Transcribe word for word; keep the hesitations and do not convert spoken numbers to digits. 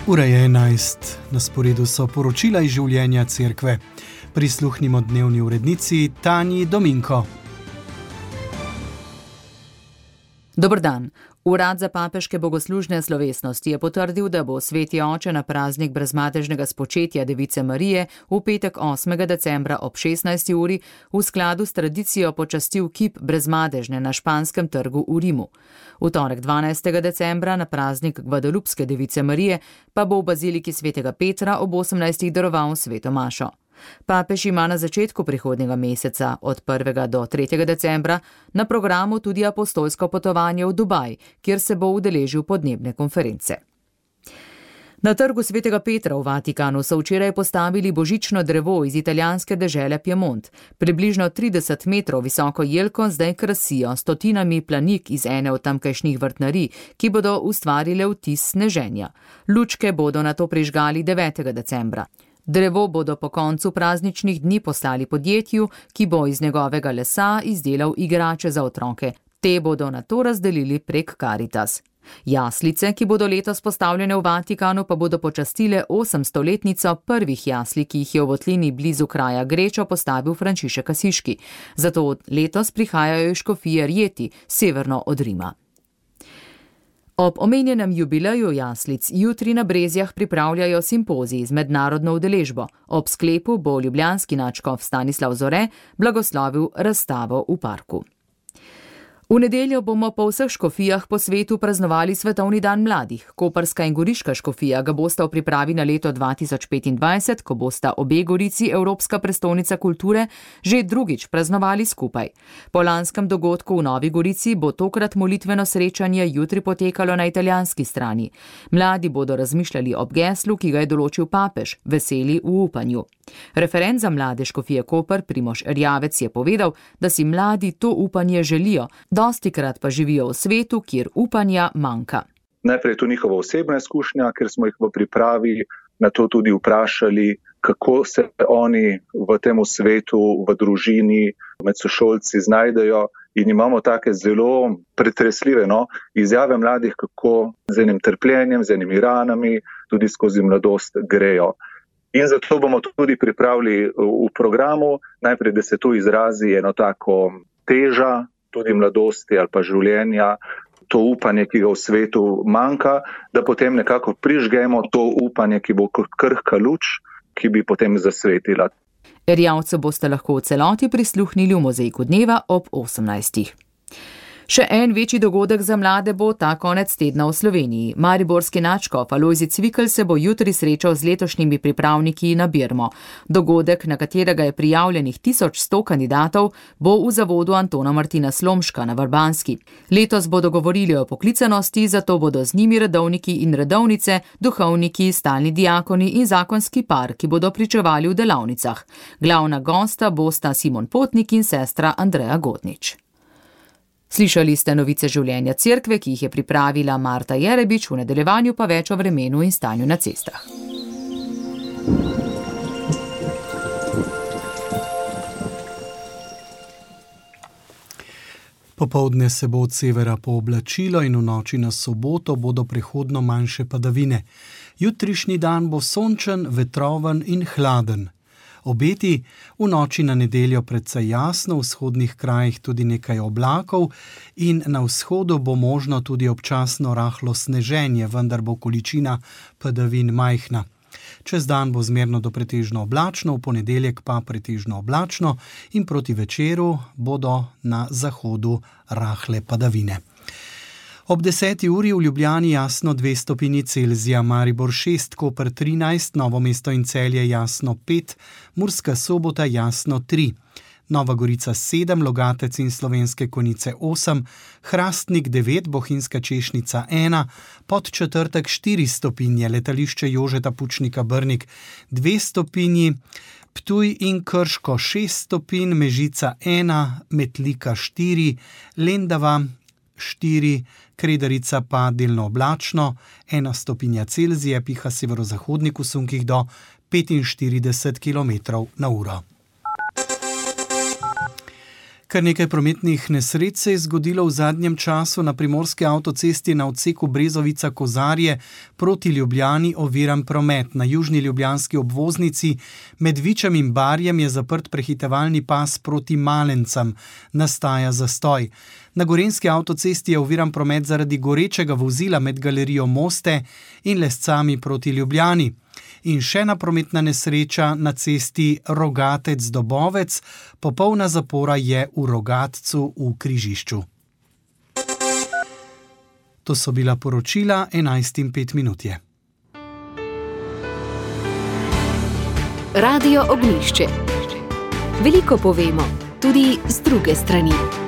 Ura je enajst, na sporedu so poročila iz življenja cerkve. Prisluhnimo dnevni urednici Tanji Dominko. Dober dan. Urad za papeške bogoslužne slovesnosti je potrdil, da bo Sveti oče na praznik brezmadežnega spočetja Device Marije v petek osmega decembra ob šestnajsti uri v skladu s tradicijo počastil kip brezmadežne na Španskem trgu v Rimu. V torek dvanajstega decembra na praznik Gvadalupske Device Marije pa bo v baziliki svetega Petra ob osemnajstih daroval sveto mašo. Papež ima na začetku prihodnjega meseca, od prvega do tretjega decembra, na programu tudi apostolsko potovanje v Dubaj, kjer se bo udeležil podnebne konference. Na trgu svetega Petra v Vatikanu so včeraj postavili božično drevo iz italijanske dežele Piemont. Približno trideset metrov visoko jelko zdaj krasijo stotinami planik iz ene od tamkajšnjih vrtnarij, ki bodo ustvarile vtis sneženja. Lučke bodo nato prižgali devetega decembra. Drevo bodo po koncu prazničnih dni poslali podjetju, ki bo iz njegovega lesa izdelal igrače za otroke. Te bodo nato razdelili prek Caritas. Jaslice, ki bodo letos postavljene v Vatikanu, pa bodo počastile osemstoletnico prvih jasli, ki jih je v votlini blizu kraja Grečo postavil Frančišek Asiški. Zato letos prihajajo iz škofije Rieti, severno od Rima. Ob omenjenem jubileju jaslic jutri na Brezjah pripravljajo simpozij z mednarodno udeležbo. Ob sklepu bo ljubljanski nadškof Stanislav Zore blagoslovil razstavo v parku. V nedeljo bomo po vseh škofijah po svetu praznovali Svetovni dan mladih. Koprska in goriška škofija ga bosta v pripravi na leto dva tisoč petindvajset, ko bosta obe gorici Evropska prestolnica kulture, že drugič praznovali skupaj. Po lanskem dogodku v Novi Gorici bo tokrat molitveno srečanje jutri potekalo na italijanski strani. Mladi bodo razmišljali ob geslu, ki ga je določil papež, veseli v upanju. Referent za mlade škofije Koper Primož Erjavec je povedal, da si mladi to upanje želijo, dostikrat pa živijo v svetu, kjer upanja manjka. Najprej je to njihova osebna izkušnja, ker smo jih v pripravi na to tudi vprašali, kako se oni v tem svetu, v družini, med sošolci znajdejo, in imamo take zelo pretresljive no, izjave mladih, kako z enim trpljenjem, z enimi ranami, tudi skozi mladost grejo. In zato bomo tudi pripravili v programu, najprej, da se to izrazi eno tako teža, tudi mladosti ali pa življenja, to upanje, ki ga v svetu manjka, da potem nekako prižgemo to upanje, ki bo kot krhka luč, ki bi potem zasvetila. Erjavcu boste lahko v celoti prisluhnili v Mozaiku dneva ob osemnajstih. Še en večji dogodek za mlade bo ta konec tedna v Sloveniji. Mariborski nadškof Alojzij Cvikl se bo jutri srečal z letošnjimi pripravniki na Birmo. Dogodek, na katerega je prijavljenih tisoč sto kandidatov, bo v zavodu Antona Martina Slomška na Vrbanski. Letos bodo govorili o poklicanosti, zato bodo z njimi redovniki in redovnice, duhovniki, stalni diakoni in zakonski par, ki bodo pričevali v delavnicah. Glavna gosta bosta Simon Potnik in sestra Andreja Godnič. Slišali ste novice življenja cerkve, ki jih je pripravila Marta Jerebič, v nadaljevanju pa več o vremenu in stanju na cestah. Popoldne se bo od severa pooblačilo in v noči na soboto bodo prehodno manjše padavine. Jutrišnji dan bo sončen, vetroven in hladen. Obeti v noči na nedeljo precej jasno, v vzhodnih krajih tudi nekaj oblakov in na vzhodu bo možno tudi občasno rahlo sneženje, vendar bo količina padavin majhna. Čez dan bo zmerno do pretežno oblačno, v ponedeljek pa pretežno oblačno in proti večeru bodo na zahodu rahle padavine. Ob deseti uri v Ljubljani jasno dve stopinji Celzija, Maribor šest, Koper trinajst, Novo mesto in Celje jasno pet, Murska Sobota jasno tri, Nova Gorica sedem, Logatec in Slovenske Konjice osem, Hrastnik devet, Bohinjska Češnica ena, Podčetrtek štiri stopinje, Letališče Jožeta Pučnika Brnik dve stopinji, Ptuj in Krško šest stopinj, Mežica ena, Metlika štiri, Lendava štiri, Kredarica pa delno oblačno, ena stopinja Celzija, piha severozahodnik v sunkih do petinštirideset kilometrov na uro. Kar nekaj prometnih nesreč se je zgodilo v zadnjem času na primorski avtocesti na odseku Brezovica-Kozarje proti Ljubljani oviran promet. Na južni ljubljanski obvoznici med Vičem in Barjem je zaprt prehitevalni pas proti Malencam. Nastaja zastoj. Na gorenjski avtocesti je oviran promet zaradi gorečega vozila med galerijo Moste in Lescami proti Ljubljani. In še ena prometna nesreča na cesti Rogatec-Dobovec, popolna zapora je v Rogatcu v križišču. To so bila poročila enajst in pet minut je. Radio Ognjišče. Veliko povemo, tudi z druge strani.